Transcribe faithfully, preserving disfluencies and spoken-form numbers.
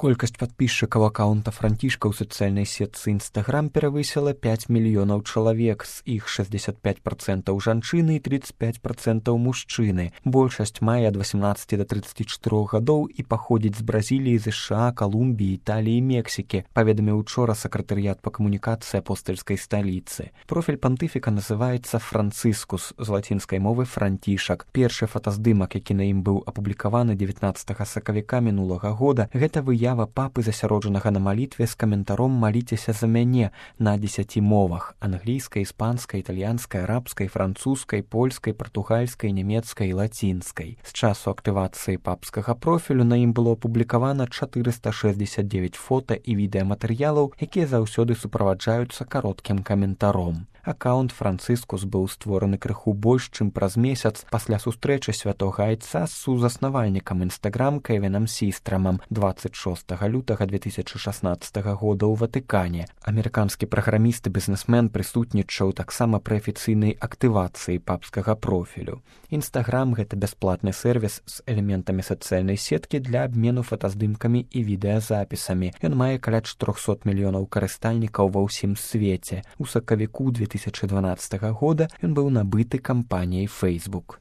Колькасць падпісчыкаў акаунта Францішка ў сацыяльнай сетцы Instagram перавысіла пяць мільёнаў чалавек, з іх шэсцьдзесят пяць працэнтаў жанчыны і тридцать пять працэнтаў мужчыны. Большасць мае ад восемнадцати да тридцати чатырох гадоў і паходзіць з Бразіліі, ЗША, Калумбіі, Італіі і Мексікі, паведаміў учора сакратарыят па камунікацыі апостальскай сталіцы. Профіль пантыфіка называецца «Францыскус», з лацінскай мовы «францішак». Першы фотаздымак, які на ім быў апублікаваны дзевятнаццатага сакавіка мінулага года, гэта выява папы, засяроджанага на малітве з каментаром «Маліцеся за мяне» на дзесяці мовах: англійскай, іспанскай, італьянскай, арабскай, французскай, польскай, партугальскай, нямецкай і лацінскай. З часу актывацыі папскага профілю на ім было апублікавана чатырыста шэсцьдзесят дзевяць фота і відэаматэрыялаў, якія заўсёды суправаджаюцца кароткім каментаром. Акаунт «Францыскус» быў створаны крыху больш, чым праз месяц пасля сустрэчы святога айца з сузаснавальнікам Instagram Кевінам Сістрамам дваццаць шостага лютага две тысячы шаснаццатага года ў Ватыкане. Амерыканскі праграміст і бізнесмен прысутнічаў таксама пры афіцыйнай актывацыі папскага профілю. Instagram — гэта бясплатны сервіс з элементамі сацыяльнай сеткі для абмену фотаздымкамі і відэазапісамі. Ён мае каля чатырохсот мільёнаў карыстальнікаў ва ўсім свеце. У сакавіку две тысячи дванаццатага года ён быў набыты кампаніяй Facebook.